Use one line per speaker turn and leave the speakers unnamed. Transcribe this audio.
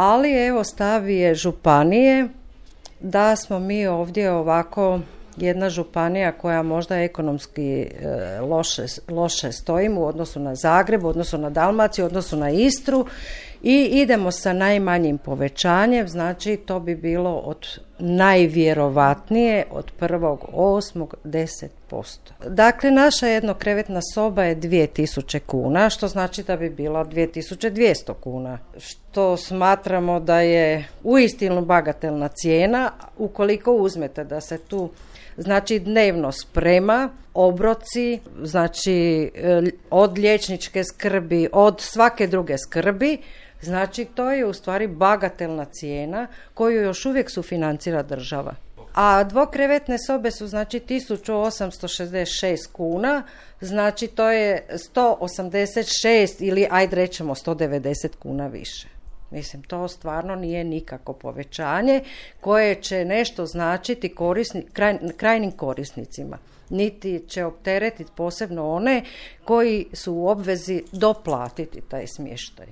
ali evo stav je županije da smo mi ovdje ovako jedna županija koja možda ekonomski loše stojimo u odnosu na Zagreb, u odnosu na Dalmaciju, u odnosu na Istru i idemo sa najmanjim povećanjem, znači to bi bilo od najvjerovatnije od 1.8. 10%. Dakle, naša jednokrevetna soba je 2000 kuna, što znači da bi bila 2200 kuna, što smatramo da je uistinu bagatelna cijena ukoliko uzmete da se tu znači dnevno sprema, obroci, znači od liječničke skrbi, od svake druge skrbi, znači to je u stvari bagatelna cijena koju još uvijek sufinancira država. A dvokrevetne sobe su znači 1866 kuna, znači to je 186 ili ajde rećemo 190 kuna više. Mislim, to stvarno nije nikako povećanje koje će nešto značiti krajnim korisnicima. Niti će opteretiti posebno one koji su u obvezi doplatiti taj smještaj.